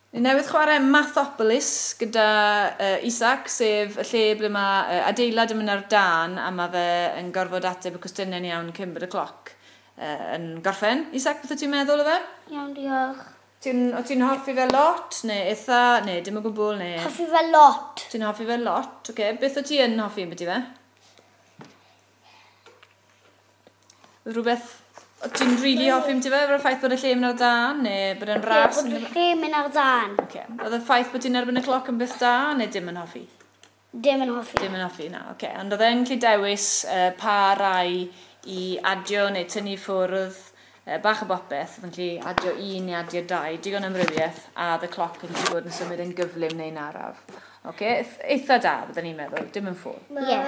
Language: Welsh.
Ni newydd chwarae Mathopolis gyda Isaac, sef y lle ble mae adeilad yn mynd ar dân a mae fe yn gorfod ateb y cwestiynau'n iawn cyn bod y cloc yn gorffen. Isaac, beth wyt ti'n meddwl o fe? Iawn, diolch. O ti'n hoffi fe lot, neu eitha, neu dim o gwbl, neu? Hoffi fe lot. Ti'n hoffi fe lot, oce. Okay. Beth o ti yn hoffi ambiti fe? Rhywbeth o ti'n rili hoffi ambiti fe? Efo'r ffaith bod y lle yn mynd ar dân, neu bod e'n ras? Ie, bod y lle yn mynd ar dân. Oce. Oedd y ffaith bod ti'n erbyn y cloc yn beth da, neu dim yn hoffi? Dim yn hoffi. Dim yn hoffi, na, oce. Ond oedd e'n gallu dewis pa rai i adio neu tynnu ffwrdd, bach o bopeth, oedd yn gallu adio 1 neu adio 2, digon amrywiaeth, a oedd y cloc yn gallu bod yn symud yn gyflym neu'n araf. Oce, eitha da, byddwn ni'n meddwl, dim yn ffôl. Ie.